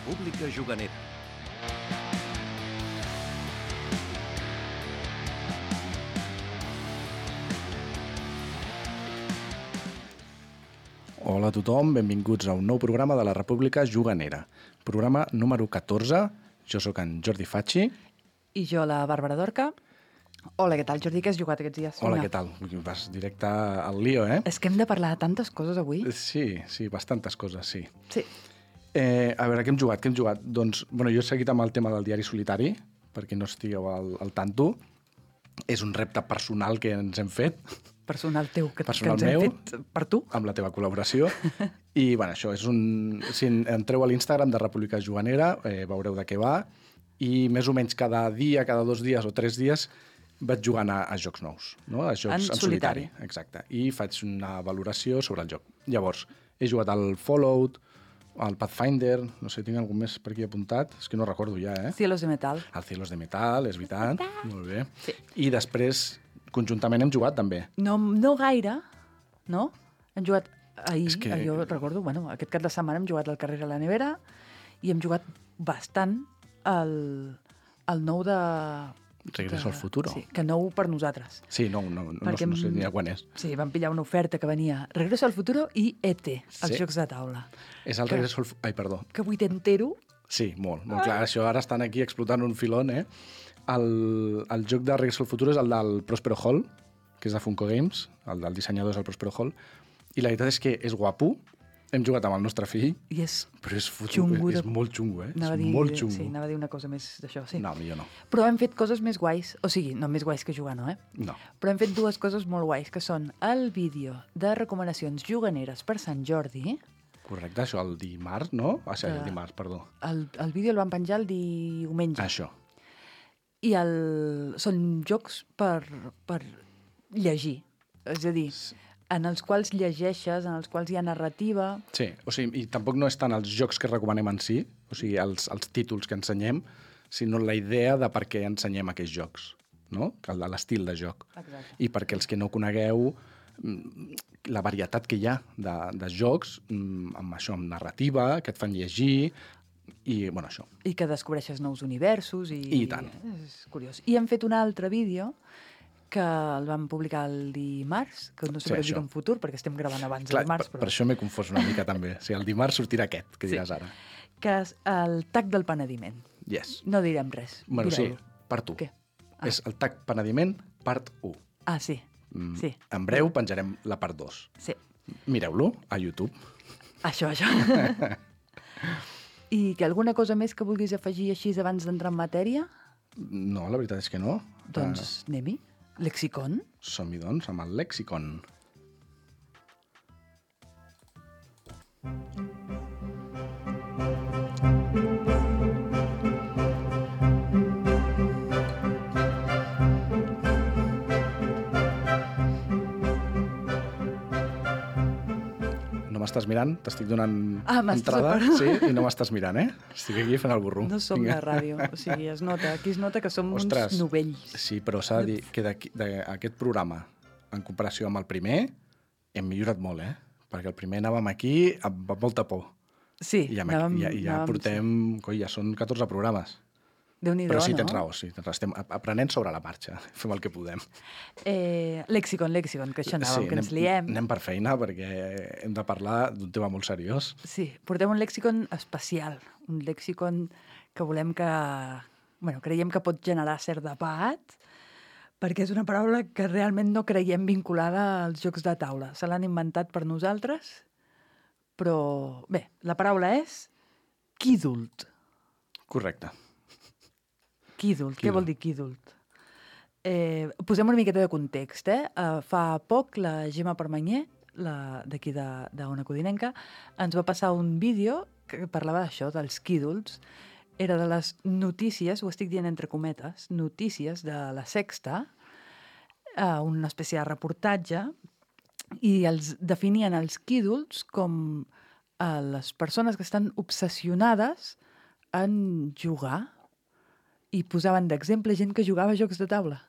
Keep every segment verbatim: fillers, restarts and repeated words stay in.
República Juganera. Hola a tothom, benvinguts a un nou programa de la República Juganera. Programa número catorze. Jo sóc en Jordi Facci. I jo, la Bàrbara Dorca. Hola, què tal, Jordi? Què has jugat aquests dies? Hola, què tal? Vas directe al lío, eh? És que hem de parlar de tantes coses avui. Sí, sí, bastantes coses, sí. Sí. Eh, a veure, què hem jugat? Què hem jugat? Doncs, bueno, jo he seguit amb el tema del diari solitari, perquè no estigueu al, al tanto. És un repte personal que ens hem fet. Personal teu, que, Personal que ens meu, hem fet per tu. Amb la teva col·laboració. I, bueno, això és un... Si entreu a l'Instagram de República Juganera, eh, veureu de què va. I més o menys cada dia, cada dos dies o tres dies vaig jugant a, a jocs nous, no? A jocs en, En en solitari. solitari. Exacte. I faig una valoració sobre el joc. Llavors, he jugat al Fallout, al Pathfinder, no sé, tinc algun més per aquí apuntat, és que no recordo ja, eh? Cielos de metal. Al Cielos de Metal, és veritat. Molt bé. Sí. I després, conjuntament hem jugat també. No, no gaire, no? Hem jugat ahir, És que- que... jo recordo, bueno, aquest cap de setmana hem jugat al carrer a la nevera i hem jugat bastant al, al nou de... Regreso de- al futuro. Sí, que nou per nosaltres. Sí, no, no, no, Perquè no sé hem- ni a quan és. Sí, vam pillar una oferta que venia Regreso al futuro i E T, els Sí. jocs de taula. És el Que- regreso al... fu- Ai, perdó. Que vuitentero. Sí, molt, molt clar. Això ara estan aquí explotant un filón, eh? El, el joc de Regreso al futuro és el del Prospero Hall, que és de Funko Games, el del dissenyador és el Prospero Hall, i la veritat és que és guapo. Hem jugat amb el nostre fill, I és però és, fotu, Xungo és de- molt xungo, eh? Anava a és dir, molt xungo. Sí, anava a dir una cosa més d'això, sí. No, millor no. Però hem fet coses més guais, o sigui, no més guais que jugar, no, eh? No. Però hem fet dues coses molt guais, que són el vídeo de recomanacions juganeres per Sant Jordi. Correcte, això el dimarts, no? Ah, sí, el Que- dimarts, perdó. El, el vídeo el van penjar el diumenge. Això. I el, són jocs per, per llegir. És a dir, en els quals llegeixes, en els quals hi ha narrativa. Sí, o sigui, i tampoc no és tant els jocs que recomanem en si, o sigui, els, els títols que ensenyem, sinó la idea de per què ensenyem aquests jocs, no? Que el- L'estil de joc. Exacte. I perquè els que no conegueu mm, la varietat que hi ha de, de jocs mm, amb això, amb narrativa, que et fan llegir, i, bueno, això. I que descobreixes nous universos. I, I tant. És curiós. I hem fet un altre vídeo que el vam publicar el dimarts, que no sé Sí, per dir això. en futur, perquè estem gravant abans Clar, del dimarts, per, però... per això m'he confós una mica també. O sigui, el dimarts sortirà aquest, que Sí. diràs ara. Que és el tac del penediment. Yes. No direm res. Bueno, sí, Direu-lo. part u. Què? Ah. És el tac penediment, part u. Ah, sí. Mm, Sí. En breu penjarem la part dos. Sí. Mireu-lo a YouTube. Això, això. I que alguna cosa més que vulguis afegir així abans d'entrar en matèria? No, la veritat és que no. Doncs anem-hi. Lexicon? Uh, som-hi, doncs, amb el lexicon. No m'estàs mirant? T'estic donant Ah, m'estàs entrada, separant. sí, i no m'estàs mirant, eh? Estic aquí fent el burro. No som Vinga. la ràdio. O sigui, es nota. Aquí es nota que som Ostres, uns novells. sí, però s'ha de dir que d'aquí- d'aquest programa, en comparació amb el primer, hem millorat molt, eh? Perquè el primer anàvem aquí amb molta por. Sí, I ja, anàvem- ja, ja anàvem- portem... Coi, ja són catorze programes. Déu-n'hi-do, Però sí, no? tens raó, sí, tens raó. Estem ap- aprenent sobre la marxa. Fem el que podem. Eh, lexicon, lexicon, que això anàvem, que ens anem, liem. anem per feina perquè hem de parlar d'un tema molt seriós. Sí, portem un lexicon especial, un lexicon que volem que... Bueno, creiem que pot generar cert debat, perquè és una paraula que realment no creiem vinculada als jocs de taula. Se l'han inventat per nosaltres, però... Bé, la paraula és quídult. Correcte. Quídult, què Quídult. vol dir quídult? Eh, posem una miqueta de context, eh? Uh, fa poc la Gemma Permanyer, la d'aquí de, de Ona Codinenca, ens va passar un vídeo que parlava d'això, dels quídults. Era de les notícies, ho estic dient entre cometes, notícies de la Sexta, uh, una espècie de reportatge, i els definien els quídults com uh, les persones que estan obsessionades en jugar, i posaven d'exemple gent que jugava a jocs de taula.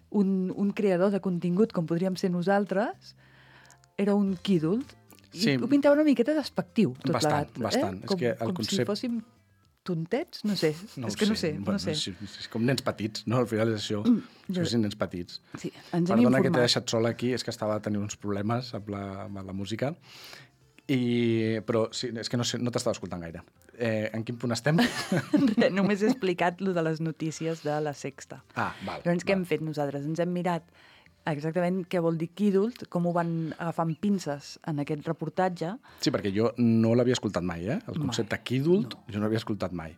Un, un creador de contingut, com podríem ser nosaltres, era un quídult, i Sí. ho pintava una miqueta despectiu, tot Bastant, plegat. bastant. Eh? És Com, que el com si concepte- fóssim tontets? No sé, No és ho que no sé, Bueno, no sé. És, és com nens petits, no? Al final és això. jo- Són nens petits. Sí, ens hem Perdona que t'he informat. deixat sola aquí, és que estava tenint uns problemes amb la, amb la música. I, però sí, és que no, sé, no t'estava escoltant gaire. Eh, en quin punt estem? Res, només he explicat lo de les notícies de la Sexta. Ah, val. Llavors, què val. hem fet nosaltres? Ens hem mirat exactament què vol dir Kidult, com ho van agafar amb pinces en aquest reportatge. Sí, perquè jo no l'havia escoltat mai, eh? El concepte Mai. Kidult, No. jo no l'havia escoltat mai.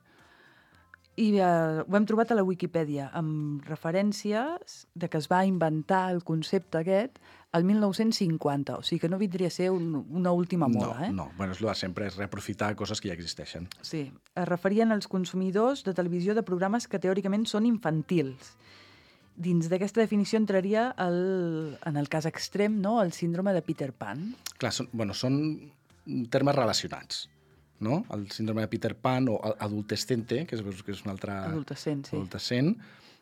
I eh, ho hem trobat a la Wikipedia, amb referències de que es va inventar el concepte aquest el mil nou-cents cinquanta, o sigui que no vindria a ser un, una última moda, no, eh? no. Bueno, és el de sempre, és reaprofitar coses que ja existeixen. Sí, es referien als consumidors de televisió de programes que teòricament són infantils. Dins d'aquesta definició entraria, el, en el cas extrem, no?, el síndrome de Peter Pan. Clar, són, bueno, són termes relacionats, no? El síndrome de Peter Pan o adultescente, que és, que és un altre... Adolescent, sí. Adolescent,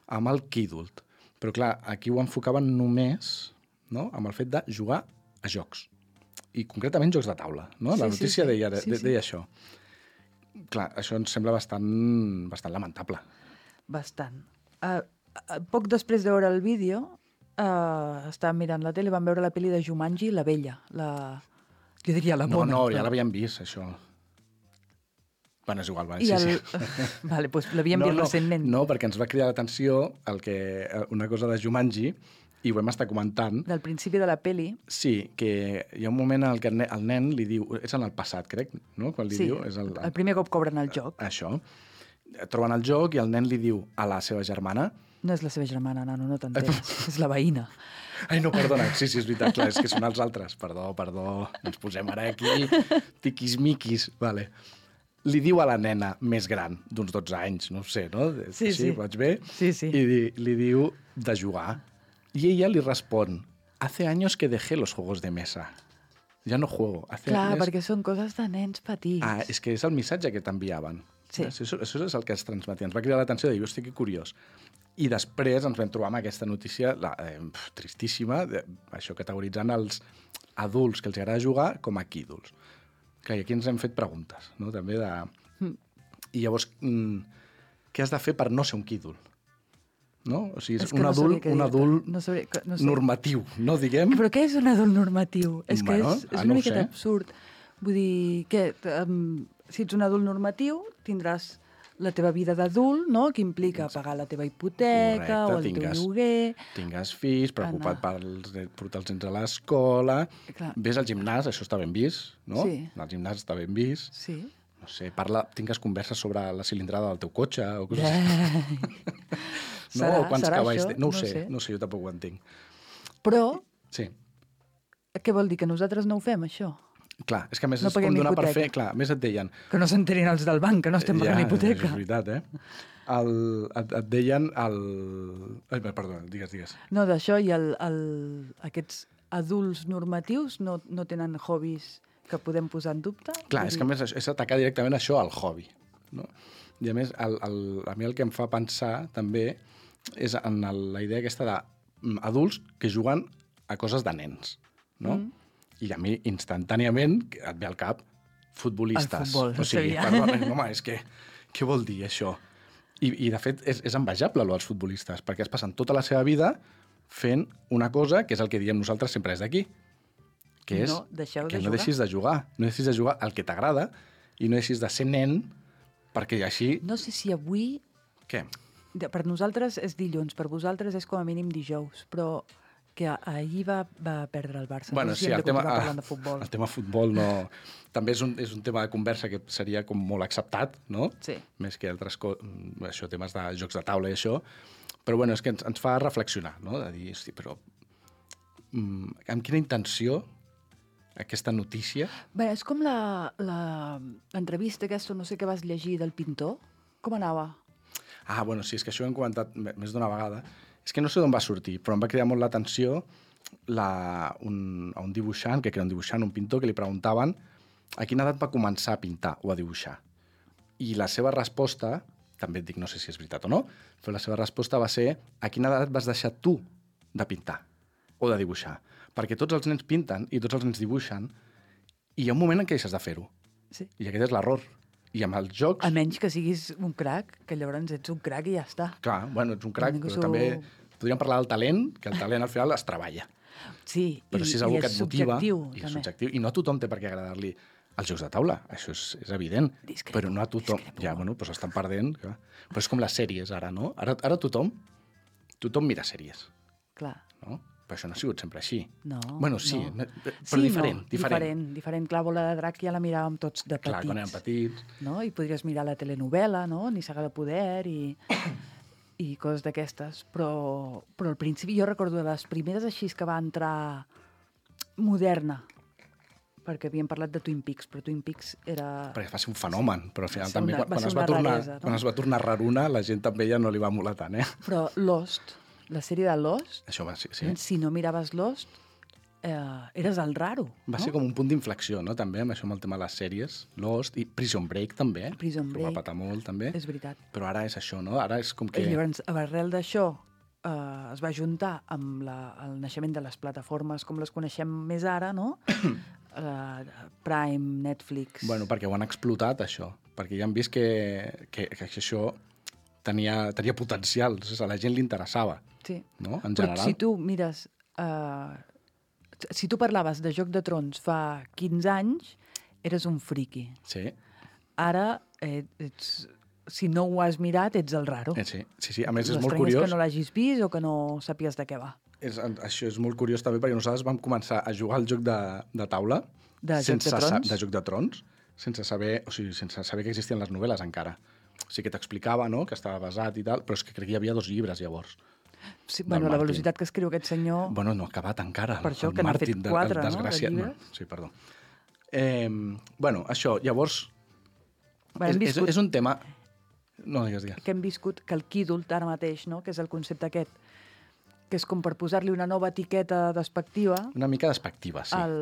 amb el Kidult. Però clar, aquí ho enfocaven només, no?, amb el fet de jugar a jocs. I concretament jocs de taula, no? Sí, La sí, notícia sí. deia, Sí, de, sí. deia això. Clar, això ens sembla bastant, bastant lamentable. Bastant. Uh, uh, poc després de veure el vídeo, uh, estàvem mirant la tele, vam veure la pel·li de Jumanji, La Vella. La... Jo diria la No, Mona. no, però- ja l'havíem vist, això. Bueno, és igual, va. I Sí, el... sí. vale, doncs l'havíem no, vist no, recentment. No, perquè ens va cridar l'atenció el que, una cosa de Jumanji, i ho hem estat comentant. Del principi de la peli. Sí, que hi ha un moment en què el nen, el nen li diu... És en el passat, crec, no? Quan li Sí, diu... És el, el primer cop cobren el joc. Això. Troben el joc i el nen li diu a la seva germana... No és la seva germana, nano, no t'enteres. És la veïna. Ai, no, perdona, sí, sí, és veritat, clar, és que són els altres. Perdó, perdó, ens posem ara aquí, tiquis-miquis, vale. Li diu a la nena més gran, d'uns dotze anys, no ho sé, no? Sí, sí. Vaig bé? Sí, sí. I di, li diu de jugar. I ella li respon, hace años que dejé los juegos de mesa. Ja no juego. Hace Clar, años... perquè són coses de nens petits. Ah, és que és el missatge que t'enviaven. Sí. Això, això és el que es transmetia. Ens va cridar l'atenció de dir, hosti, que curiós. I després ens vam trobar amb aquesta notícia la, eh, pf, tristíssima, de, això categoritzant els adults que els agrada jugar com a quídols. Clar, i aquí ens hem fet preguntes, no?, també de... Mm. I llavors, mm, què has de fer per no ser un quídol? No? O sigui, és, És que un no adult, sabria què un dir-te. adult No sabria, que- no sé. normatiu, no diguem? Però què és un adult normatiu? És que Bueno, és, és ah, una no ho miqueta sé. absurd. Vull dir, que um, si ets un adult normatiu, tindràs la teva vida d'adult, no?, que implica pagar la teva hipoteca Correcte, o el tingues- teu lloguer. Tingues fills, preocupat Anar. pels, de portar els nens a l'escola, Clar. ves al gimnàs, això està ben vist, no? Sí. Al gimnàs està ben vist. Sí. No sé, parla, tingues converses sobre la cilindrada del teu cotxe o coses Yeah. així. No? Serà- o quants serà cavalls això? té. No ho No sé, sé. no ho sé, jo tampoc ho entenc. Però, Sí, què vol dir? Que nosaltres no ho fem, això? clar, és que a més No és com paguem donar per hipoteca. fer... Clar, a més et deien... Que no s'enterin els del banc, que no estem pagant hipoteca. És veritat, eh? El, et, et deien el... Ai, perdona, digues, digues. No, d'això i el, el, aquests adults normatius no, no tenen hobbies que podem posar en dubte? Clar, Vull és dir, que a més és atacar directament això al hobby. No? I a més, el, el, a mi el que em fa pensar també és en el, la idea aquesta d'adults que juguen a coses de nens. No? Mm. I a mi, instantàniament, et ve al cap futbolistes. El futbol, o sigui, sabia. perdona, home, és que què vol dir això? I, i de fet, és, és envejable, allò dels futbolistes, perquè es passen tota la seva vida fent una cosa que és el que diem nosaltres sempre és d'aquí, que és No, deixeu de que no jugar. deixis de jugar. No deixis de jugar el que t'agrada i no deixis de ser nen perquè així... No sé si avui... Què? de- Per nosaltres és dilluns, per vosaltres és com a mínim dijous, però que a- ahir va, va perdre el Barça. Bueno, no sé sí, si hem el de tema, continuar parlant de futbol. el tema futbol no... També és un, és un tema de conversa que seria com molt acceptat, no? Sí. Més que altres coses, això, temes de jocs de taula i això. Però bueno, és que ens, ens fa reflexionar, no? De dir, hosti, però mm, amb quina intenció aquesta notícia... Bé, és com la- la- l'entrevista aquesta, no sé què vas llegir, del pintor. Com anava? Ah, bueno, sí, és que això ho hem comentat m- més d'una vegada. És que no sé d'on va sortir, però em va cridar molt l'atenció la, un, a un dibuixant, que era un dibuixant, un pintor, que li preguntaven a quina edat va començar a pintar o a dibuixar. I la seva resposta, també et dic, no sé si és veritat o no, però la seva resposta va ser a quina edat vas deixar tu de pintar o de dibuixar. Perquè tots els nens pinten i tots els nens dibuixen i hi ha un moment en què deixes de fer-ho. Sí. I aquest és l'error. I amb els jocs... A menys que siguis un crac, que llavors ets un crac i ja està. Clar, bueno, ets un crac, Ningú però s'ho- també podríem parlar del talent, que el talent al final es treballa. Sí, Però i, si és i algú és que et motiva... subjectiu, I és també. subjectiu. I no a tothom té per què agradar-li els jocs de taula, això és, és evident. Discrepo, però no a tothom... discrepo. Ja, bueno, doncs estan perdent. Clar. Però és com les sèries, ara, no? Ara, ara tothom, tothom mira sèries, Clar. no? Però això no ha sigut sempre així. No, Bueno, sí, no. però Sí, diferent, no, diferent. diferent. Diferent. Clar, Bola de Drac ja la miràvem tots de Clar, quan érem petits. petits... No? I podries mirar la telenovel·la, no? Ni Saga de Poder i, i coses d'aquestes. Però, però al principi jo recordo de les primeres així que va entrar moderna, perquè havíem parlat de Twin Peaks, però Twin Peaks era... Perquè va ser un fenomen, però al final Va ser també, una- quan, va quan, ser es va una tornar, raresa, no? quan es va tornar raruna, la gent també ja no li va molar tant, eh? Però Lost, la sèrie de Lost, Això va ser, sí. si no miraves Lost, eh, eres el raro. Va no? ser com un punt d'inflexió, no?, també, amb això amb el tema de les sèries. Lost i Prison Break, també. Prison que ho va Break. patar molt, també. És veritat. Però ara és això, no? Ara és com que... I llavors, arrel d'això, eh, es va juntar amb la, el naixement de les plataformes com les coneixem més ara, no? eh, Prime, Netflix... Bueno, perquè ho han explotat, això. Perquè ja han vist que, que, que això tenia, tenia potencial. O sigui, a la gent li interessava, sí. no?, en Però general. si tu mires... Eh, si tu parlaves de Joc de Trons fa quinze anys, eres un friqui. Sí, Ara, eh, ets, si no ho has mirat, ets el raro. eh, sí, sí, sí. A més, és molt L'estrany és curiós. que no l'hagis vist o que no sàpies de què va. És, això és molt curiós també perquè nosaltres vam començar a jugar al joc de, de taula De Joc sense de sa- Trons? de Joc de Trons, sense saber, o sigui, sense saber que existien les novel·les encara. O sigui, que t'explicava, no?, que estava basat i tal, però és que crec que hi havia dos llibres llavors. Sí, Del bueno, la Martin. velocitat que escriu aquest senyor... Bueno, no ha acabat encara. Per això el que n'ha Martin, fet de- quatre, el no?, de desgraciat. llibres. Sí, perdó. Eh, bueno, això, llavors, Bueno, hem és, és, viscut, és un tema... No, digues, digues. que hem viscut que el Kidult ara mateix, no?, que és el concepte aquest, que és com per posar-li una nova etiqueta despectiva Una mica despectiva, sí. al,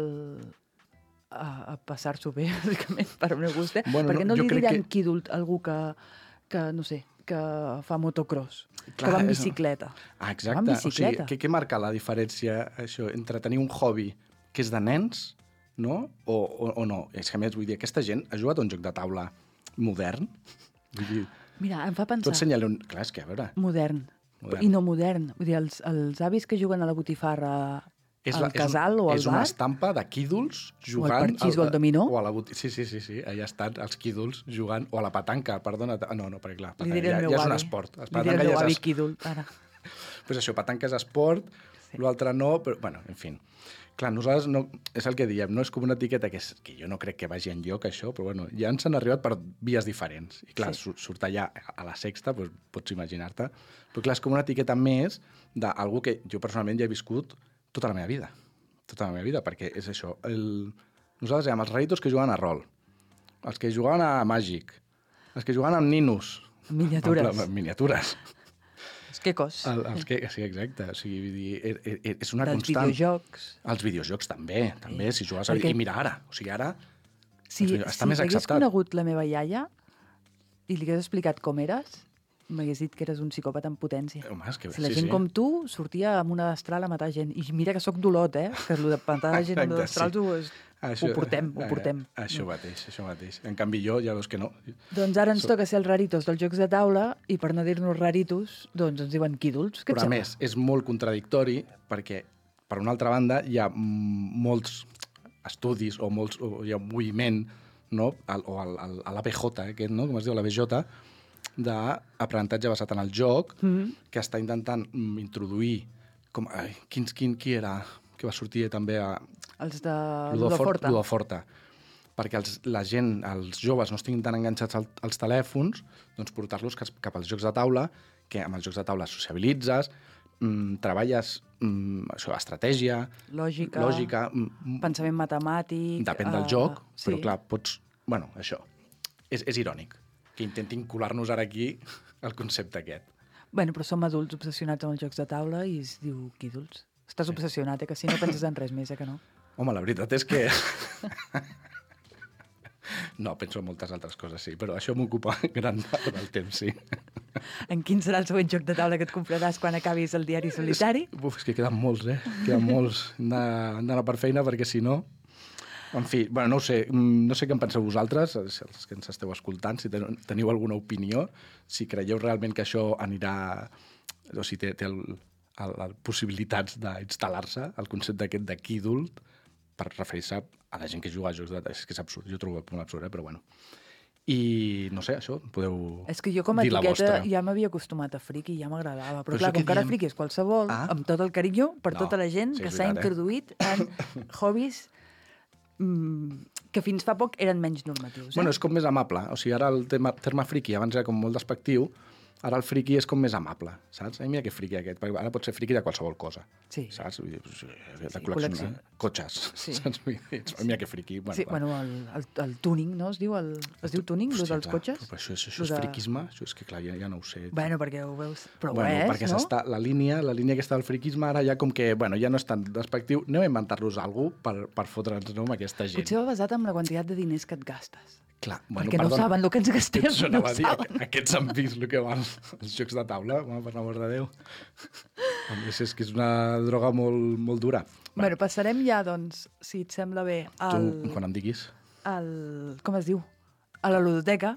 a, a passar-s'ho bé, bàsicament, per al meu gust, eh? Bueno, Perquè no, no, jo li crec diran que- Kidult a algú que, que, no sé, que fa motocross, Clar, que va amb és- bicicleta. Ah, Va exacte. amb O sigui, bicicleta. què, què marca la diferència, això, entre tenir un hobby que és de nens, no?, o, o, o no? És que, a més, vull dir, aquesta gent ha jugat a un joc de taula modern? Vull dir, Mira, em fa tu pensar... ensenya-li un... Clar, és que, a veure... Modern. Modern. I no modern. Vull dir, els, els avis que juguen a la botifarra És, al la, és, casal un, o al és una bar, estampa de quídols jugant... parxís o al dominó. O a la boti... Sí, sí, sí, sí, allà estan els quídols jugant... O a la petanca, perdona. Ah, no, no, perquè clar, li petanca, diré ja, al meu ja és un avi. esport. Li diré al meu ja avi és... Quídol, ara. Pues això, petanca és esport, sí. L'altre no, però, bueno, en fi. Clar, nosaltres no, és el que diem, no? És com una etiqueta que, és, que jo no crec que vagi enlloc, això, però bueno, ja ens han arribat per vies diferents. I clar, Sí. sí. surt allà a la sexta, doncs, pots imaginar-te. Però clar, és com una etiqueta més d'algú que jo personalment ja he viscut tota la meva vida. Tota la meva vida, perquè és això. El... Nosaltres érem els raritos que juguen a rol, els que juguen a Màgic, els que juguen amb ninos. Miniatures. En pla- miniatures. És que cos. El, els que, sí, exacte. O sigui, vull dir, er- er- és una Dels constant. videojocs. Els videojocs també, també, si jugues a... Perquè- I mira ara, o sigui, ara... Si, els videojocs- està si més t'hagués acceptat. conegut la meva iaia i li hagués explicat com eres, m'hagués dit que eres un psicòpata en potència. Home, és que, Si la sí, gent sí. com tu sortia amb una destral a matar gent. I mira que sóc dolot, eh? Que el de matar gent amb Exacte, destrals sí. ho, és, ho portem, ho eh, portem. Això mateix, això mateix. En canvi jo ja veus que no. Doncs ara ens So- toca ser els raritos dels jocs de taula i per no dir-nos raritos, doncs ens diuen quídols. Què et Però a sembla? més, és molt contradictori perquè, per una altra banda, hi ha mm, molts estudis o, molts, o hi ha un moviment, no? Al, o al, al, a l'A B J, aquest, no? Com es diu, l'A B J, d'aprenentatge basat en el joc, Mm -hmm. que està intentant mm, introduir... Com, ai, quin, quin, qui era que va sortir també a Els de Ludofort- Ludoforta. Ludoforta? Perquè els, la gent, els joves, no estiguin tan enganxats al, als telèfons, doncs portar-los cap, cap als jocs de taula, que amb els jocs de taula sociabilitzes, mm, treballes mm, això, estratègia, Lògica, lògica, mm, pensament matemàtic... depèn del eh, joc, sí. però clar, pots... Bueno, això, és, és irònic que intentin colar-nos ara aquí el concepte aquest. Bueno, però som adults obsessionats amb els jocs de taula i es diu quídols. Estàs obsessionat, eh? Que si no penses en res més, eh? Que no? Home, la veritat és que... No, penso en moltes altres coses, sí, però això m'ocupa gran part del temps, sí. En quin serà el següent joc de taula que et compraràs quan acabis el diari solitari? Uf, és que queden molts, eh? Queden molts. Hem d'anar hem d'anar per feina perquè, si no... En fi, bueno, no ho sé, no sé què en penseu vosaltres, els que ens esteu escoltant, si teniu alguna opinió, si creieu realment que això anirà, o si té, té el, el, el, possibilitats d'instal·lar-se, el concepte aquest de Kidult, per referir-se a la gent que juga a jocs de... És que és absurd, jo trobo molt absurd, eh? Però bueno. I, no sé, això, podeu És que jo com a dir la etiqueta vostra. ja m'havia acostumat a friki i ja m'agradava. Però, Però clar, això com que que ara diem- friki és qualsevol, Ah. amb tot el carinyo per No, tota la gent sí, que és s'ha veritat, eh? introduït en hobbies mm, que fins fa poc eren menys normatius. Eh? Bueno, és com més amable. O sigui, ara el tema, terme friki abans era com molt despectiu, ara el friki és com més amable, saps? Ai, mira que friki aquest, perquè ara pot ser friki de qualsevol cosa, Sí. saps? Vull dir, pues, de Sí, col·leccionar col·lecció. cotxes, Sí. saps? Vull dir, ai, mira que friki. Bueno, Sí, va. bueno, el, el, el tuning, no? Es diu, el, es diu tuning, el Hòstia, dels clar, cotxes? Però això, això, Lo això és de- friquisme? Això és que, clar, ja, ja no ho sé. Bueno, perquè ho veus... Però bueno, ho és, perquè no? s'està, la línia, la línia aquesta del friquisme ara ja com que, bueno, ja no és tan despectiu. Anem a inventar-nos alguna cosa per, per fotre'ns, no, amb aquesta gent. Potser va basat en la quantitat de diners que et gastes. Clar, Perquè no saben el que ens gastem, Això no anava ho a dir, saben. aquests han vist el que van els jocs de taula, home, per l'amor de Déu. A més, és que és una droga molt, molt dura. Bueno, passarem ja, doncs, si et sembla bé, al... Tu, quan em diguis, al com es diu? A la ludoteca.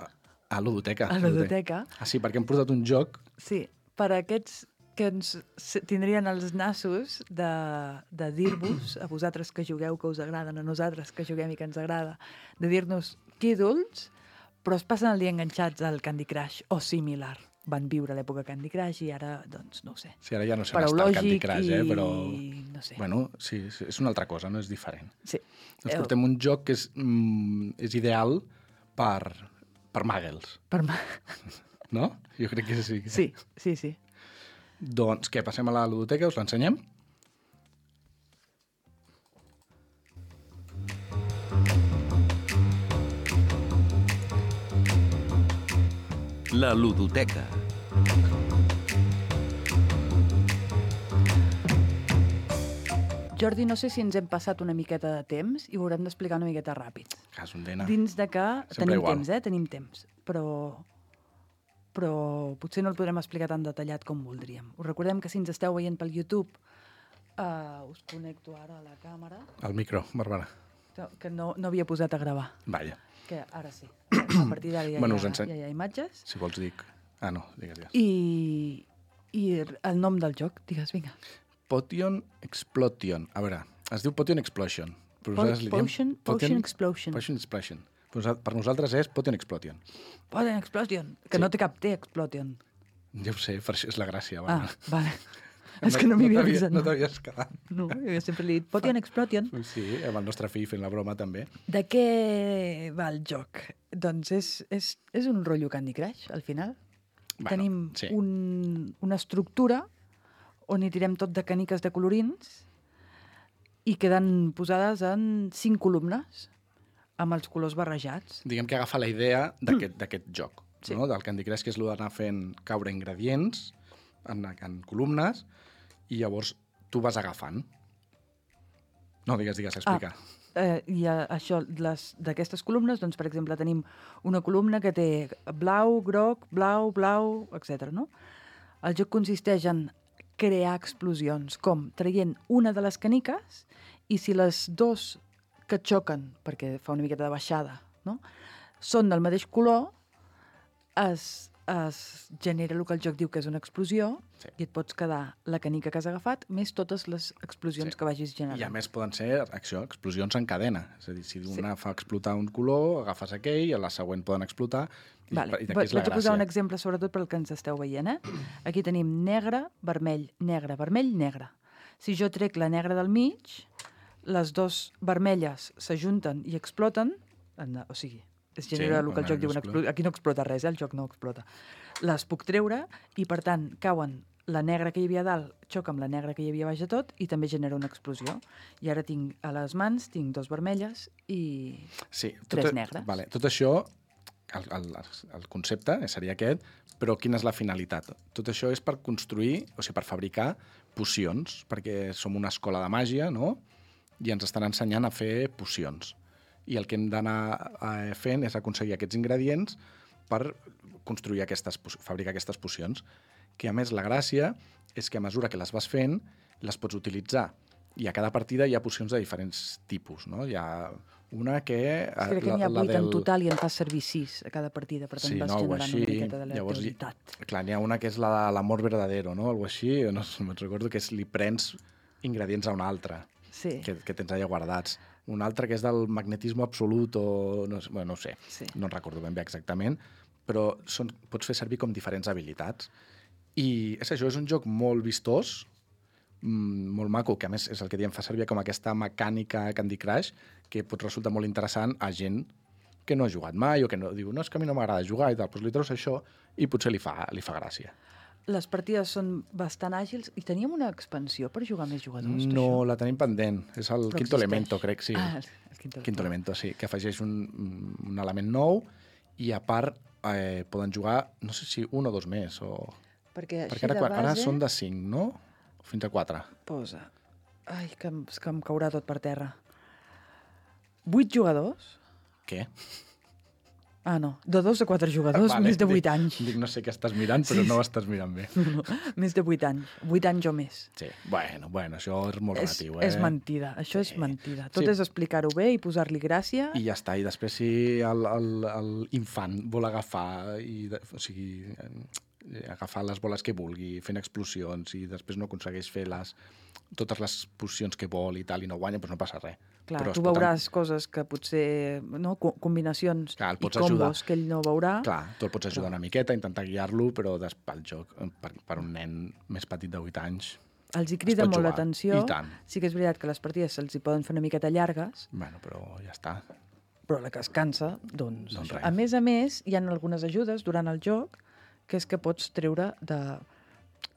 a l'Udoteca. A la ludoteca. Ah, sí, perquè hem portat un joc. Sí, per a aquests que ens s- tindrien els nassos de, de dir-vos, a vosaltres que jugueu que us agraden, a nosaltres que juguem i que ens agrada, de dir-nos quídols, però es passen el dia enganxats al Candy Crush o similar. Van viure l'època Candy Crush i ara, doncs, no ho sé. Sí, ara ja no sé on està el Candy Crush, eh, però... i no sé. Bueno, sí, sí, és una altra cosa, no és diferent. Sí. Ens Eh, portem un joc que és, mm, és ideal per, per muggles, Per ma... no? Jo crec que sí. Sí, sí, sí. Doncs què, passem a la ludoteca, us l'ensenyem? La ludoteca. Jordi, no sé si ens hem passat una miqueta de temps i ho haurem d'explicar una miqueta ràpid. Cas un dena. Dins de que Sempre tenim igual. temps, eh? Tenim temps, però però potser no el podrem explicar tan detallat com voldríem. Us recordem que si ens esteu veient pel YouTube, uh, us connecto ara a la càmera, El micro, Bàrbara. que no, no havia posat a gravar, Vaja, que ara sí. A partir d'ara ja, Bueno, hi us ha, enseny- ja hi ha imatges. si vols dic... Ah, no, digues, digues. I, I el nom del joc, digues, vinga. Potion Explosion. A veure, es diu Potion Explosion. Però Po- nosaltres li diem Potion, Potion Explosion. Potion Explosion. Per nosa- Per nosaltres és Potion Explosion. Potion Explosion, que Sí. no té cap T, Explosion. Ja ho sé, per això és la gràcia. Ah, Bàrbara. vale. És que no m'hi havia t'havia- avisat. No t'havies quedat. No, jo sempre li he dit Potion Explosion. Sí, amb el nostre fill fent la broma també. De què va el joc? Doncs és, és, és un rotllo Candy Crush, al final. Bueno, Tenim sí. un, una estructura on hi tirem tot de caniques de colorins i queden posades en cinc columnes amb els colors barrejats. Diguem que agafa la idea d'aquest d'aquest joc, Sí. no? Del Candy Crush, que és el d'anar fent caure ingredients en, en columnes i llavors tu vas agafant. No, digues, digues, explica. Eh, I a, això, les- d'aquestes columnes, doncs, per exemple, tenim una columna que té blau, groc, blau, blau, etcètera. No? El joc consisteix en crear explosions, com traient una de les caniques i si les dos que xoquen, perquè fa una miqueta de baixada, no? són del mateix color, es, es genera el que el joc diu que és una explosió Sí. i et pots quedar la canica que has agafat més totes les explosions Sí. que vagis generant. I a més poden ser això, explosions en cadena. És a dir, si una fa explotar un color, agafes aquell, i a la següent poden explotar. I, Vale. i d'aquí és la Vaig a posar gràcia. un exemple, sobretot pel que ens esteu veient. Eh? Aquí tenim negre, vermell, negre, vermell, negre. Si jo trec la negra del mig, les dues vermelles s'ajunten i exploten, en- o sigui, es genera Sí, el que el una joc diu, una explota. explo... aquí no explota res, eh? El joc no explota. Les puc treure i, per tant, cauen la negra que hi havia a dalt, xoca amb la negra que hi havia a baix de tot i també genera una explosió. I ara tinc a les mans, tinc dos vermelles i Sí, tres tot, negres. Vale, tot això, el, el, el concepte seria aquest, però quina és la finalitat? Tot això és per construir, o sigui, per fabricar pocions, perquè som una escola de màgia, no? I ens estan ensenyant a fer pocions. I el que hem d'anar eh, fent és aconseguir aquests ingredients per construir aquestes, po- fabricar aquestes pocions. Que, a més, la gràcia és que a mesura que les vas fent, les pots utilitzar. I a cada partida hi ha pocions de diferents tipus, no? Hi ha Una que... És que crec que n'hi ha la- la vuit en del- total i en fas servir sis a cada partida, per tant Sí, vas no, algo generant així. una miqueta de Llavors, teoritat. clar, n'hi ha una que és la de l'amor verdadero, no? Algo així, no sé, me'n recordo que és li prens ingredients a una altra, Sí, que, que tens allà guardats. Un altre que és del magnetisme absolut o... No, sé- bueno, no ho sé, Sí. no en recordo ben bé exactament, però són, pots fer servir com diferents habilitats. I és això, és un joc molt vistós, mm, molt maco, que a més és el que diem, fa servir com aquesta mecànica Candy Crush, que pot resultar molt interessant a gent que no ha jugat mai o que no diu, no, és que a mi no m'agrada jugar i tal, doncs li treus això i potser li fa, li fa gràcia. les partides són bastant àgils i teníem una expansió per jugar més jugadors, per No, això? la tenim pendent. És el Però Quinto existeix. Elemento, crec, sí. Ah, el, el Quinto, Quinto Elemento, sí, que afegeix un, un element nou i a part eh, poden jugar, no sé si un o dos més, o... Perquè així Perquè ara, de quan- base ara són de cinc, no? Fins a quatre. posa... Ai, que, em- és que em caurà tot per terra. Vuit jugadors? Què? Ah, no. De dos a quatre jugadors, Vale, més de vuit dic- anys. Dic, no sé què estàs mirant, però Sí, no ho sí. estàs mirant bé. No, més de vuit anys. Vuit anys o més. Sí, bueno, bueno, això és molt És, relatiu, eh? és mentida, això Sí. és mentida. Tot Sí. és explicar-ho bé i posar-li gràcia. I ja està, i després si el, el, el infant vol agafar i, de, o sigui, eh, agafar les boles que vulgui, fent explosions i després no aconsegueix fer les, totes les pocions que vol i tal i no guanya, doncs no passa res. Clar, Però es tu pot- veuràs coses que potser, no, co- combinacions Clar, el i pots combos ajudar. que ell no veurà. Clar, tu el pots ajudar una miqueta, intentar guiar-lo, però des, pel joc, per, per un nen més petit de vuit anys, Els hi crida pot molt jugar. l'atenció. I tant. Sí que és veritat que les partides se'ls hi poden fer una miqueta llargues, bueno, però ja està. però la que es cansa, doncs... Doncs això. res. A més a més, hi ha algunes ajudes durant el joc que és que pots treure de...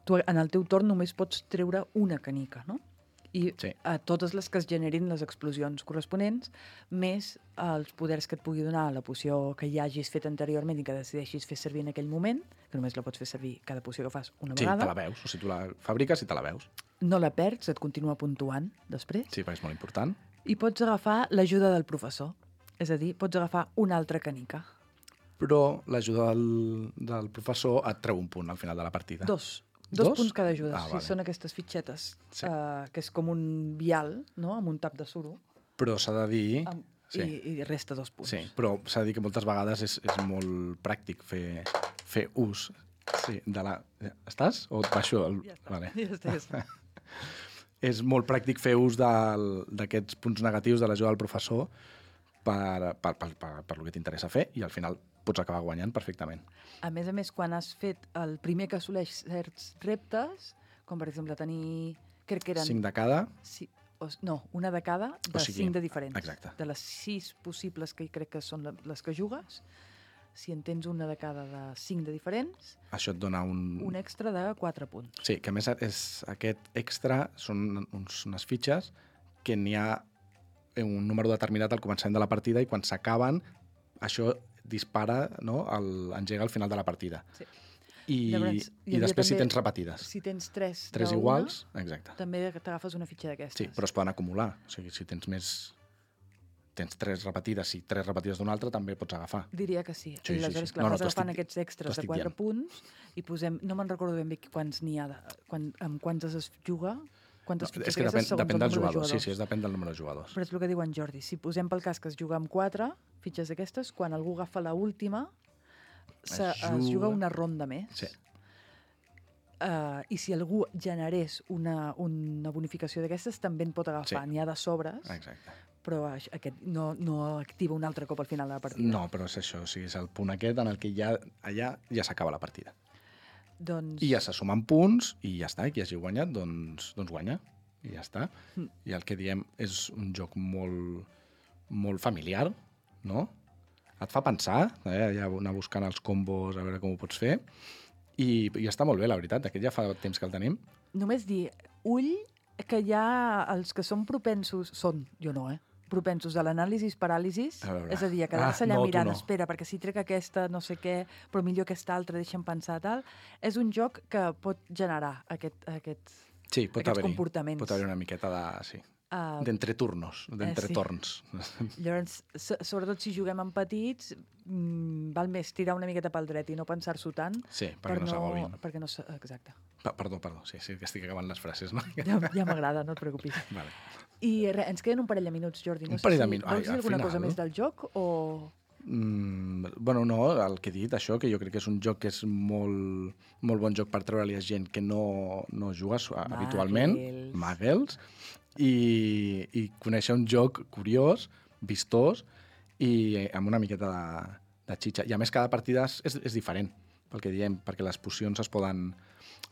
Tu en el teu torn només pots treure una canica, no? I Sí. a totes les que es generin les explosions corresponents, més els poders que et pugui donar la poció que ja hagis fet anteriorment i que decideixis fer servir en aquell moment, que només la pots fer servir cada poció que fas una Sí, te vegada. la veus, o sigui, tu la fabriques i te la veus. No la perds, et continua puntuant després. Sí, perquè és molt important. I pots agafar l'ajuda del professor. És a dir, pots agafar una altra canica. Però l'ajuda del, del professor et treu un punt al final de la partida. Dos. Dos, Dos? punts cada ajuda. Ah, sí, vale. són aquestes fitxetes, Sí. eh, que és com un vial, no?, amb un tap de suro, Però s'ha de dir... amb, Sí. i, i resta dos punts. Sí, però s'ha de dir que moltes vegades és, és molt pràctic fer, fer ús sí, de la... Estàs? O et baixo? El... Ja està, Vale. ja està, ja està. És molt pràctic fer ús del- d'aquests punts negatius de l'ajuda del professor per, per, per, per, per el que t'interessa fer i al final pots acabar guanyant perfectament. A més a més, quan has fet el primer que assoleix certs reptes, com per exemple tenir... Crec que eren... Cinc de cada... Sí, o, no, una de cada, de O sigui, cinc de diferents. exacte. De les sis possibles que crec que són la- les que jugues, si en tens una de cada de cinc de diferents, Això et dona un... un extra de quatre punts. Sí, que a més és, aquest extra són uns, unes fitxes que n'hi ha un número determinat al començament de la partida i quan s'acaben això dispara, no? el, engega al final de la partida. Sí. I, Llavors, hi i havia després si també- tens repetides. Si tens tres, Tres d'una, iguals, exacte. també t'agafes una fitxa d'aquestes. Sí, però es poden acumular. O sigui, si tens més... Tens tres repetides i tres repetides d'una altra, també pots agafar. Diria que sí. Sí, I sí, aleshores, sí. clar, No, no, vas t'ho agafant estic- aquests extras t'ho de estic quatre dient. punts i posem... No me'n recordo ben bé quants n'hi ha, de, quan, amb quantes es juga, quantes No, fitxes és que depèn, d'aquestes segons depèn el dels número de jugadors. Sí, jugadors. sí, és depèn del número de jugadors. Però és el que diu en Jordi. Si posem pel cas que es juga amb quatre fitxes d'aquestes, quan algú agafa la última, se, Es es juga juga una ronda més. Sí. Uh, I si algú generés una, una bonificació d'aquestes, també en pot agafar. Sí. N'hi ha de sobres, Exacte. però aix- aquest no, no activa un altre cop al final de la partida. No, però és això. O sigui, és el punt aquest en el que ja, allà ja s'acaba la partida. Doncs... I ja se sumen punts i ja està. I qui hagi guanyat, doncs, doncs guanya. I ja està. Mm. I el que diem és un joc molt, molt familiar, no? Et fa pensar, eh? Ja anar buscant els combos, a veure com ho pots fer. I, i està molt bé, la veritat. Aquest ja fa temps que el tenim. Només dir, ull, que hi ha els que són propensos, són, jo no, eh? propensos a l'anàlisis paràlisis, A veure. és a dir, a quedar-se Ah, allà no, tu mirant, no. espera, perquè si trec aquesta, no sé què, però millor aquesta altra, deixa'm pensar, tal. És un joc que pot generar aquest, aquest, Sí, pot aquests haver-hi. comportaments. Pot haver una miqueta de... Sí. Uh, D'entre turnos, d'entre eh, sí. torns. Llavors, so, sobretot si juguem amb petits, mm, val més tirar una miqueta pel dret i no pensar-s'ho tant. Sí, perquè per no s'agobin. Perquè no s- Exacte. Pa- Perdó, perdó, sí, sí, que estic acabant les frases, no? Ja, ja m'agrada, no et preocupis. Vale. I re, ens queden un parell de minuts, Jordi. No Un sé parell de si minuts. Vols Ai, dir al alguna final. cosa més del joc o... Mm, bueno, no, el que he dit, això, que jo crec que és un joc que és molt, molt bon joc per treure-li a gent que no, no juga su- habitualment, muggles, i, i conèixer un joc curiós, vistós i amb una miqueta de, de xitxa. I a més, cada partida és, és diferent, pel que diem, perquè les pocions es poden...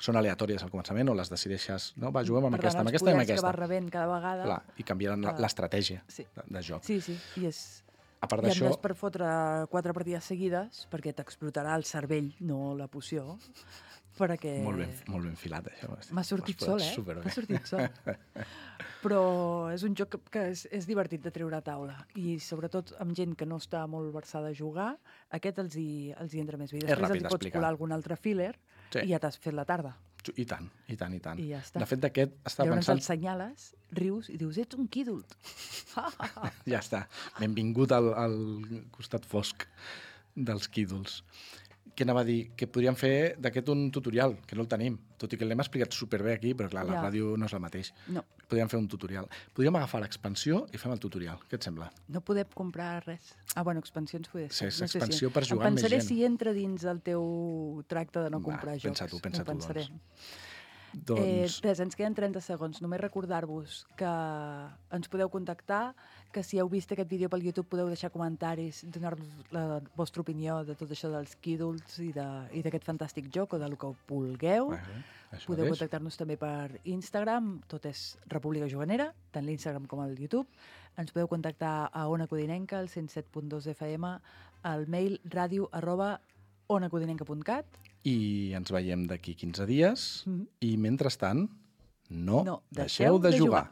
són aleatòries al començament o les decideixes, no? Va, juguem amb Per aquesta, tant, amb els aquesta i amb poders que aquesta. vas rebent cada vegada... Clar, i canviaran Ah. l'estratègia Sí. de, de joc. Sí, sí, i és... A part I a d'això, més per fotre quatre partides seguides, perquè t'explotarà el cervell, no la poció, perquè... molt ben, molt ben filat, això. M'ha sortit Ho has sol, posat eh? superbé. M'ha sortit sol. Però és un joc que, que és, és divertit de treure a taula. I sobretot amb gent que no està molt versada a jugar, aquest els hi, els hi entra més bé. I És després ràpid els hi pots d'explicar. colar algun altre filler Sí. i ja t'has fet la tarda. I tant, i tant, i tant. I ja està. De fet, d'aquest estava Llavors pensant... el senyales, rius i dius, ets un quídult. Ja està. Benvingut al, al costat fosc dels quídols. Què anava a dir? Que podríem fer d'aquest un tutorial, que no el tenim. Tot i que l'hem explicat superbé aquí, però clar, la Ja. ràdio no és el mateix. No, Podríem fer un tutorial. Podríem agafar l'expansió i fem el tutorial. Què et sembla? no podem comprar res. Ah, bueno, expansions poder Sí, ser. és expansió per jugar em amb més pensaré gent. si entra dins el teu tracte de no Va, comprar jocs. pensa tu, pensa M'ho tu, pensaré. Doncs... Eh, res, ens queden trenta segons. Només recordar-vos que ens podeu contactar, que si heu vist aquest vídeo pel YouTube podeu deixar comentaris, donar-nos la vostra opinió de tot això dels quídols i de- i d'aquest fantàstic joc o del que vulgueu. Bueno, això Podeu mateix. contactar-nos també per Instagram, tot és República Juganera, tant l'Instagram com el YouTube. Ens podeu contactar a Ona Codinenca, al cent set punt dos F M, al mail ràdio arroba onacodinenca punt cat. I ens veiem d'aquí quinze dies Mhm. i, mentrestant, no, No deixeu de de jugar. jugar.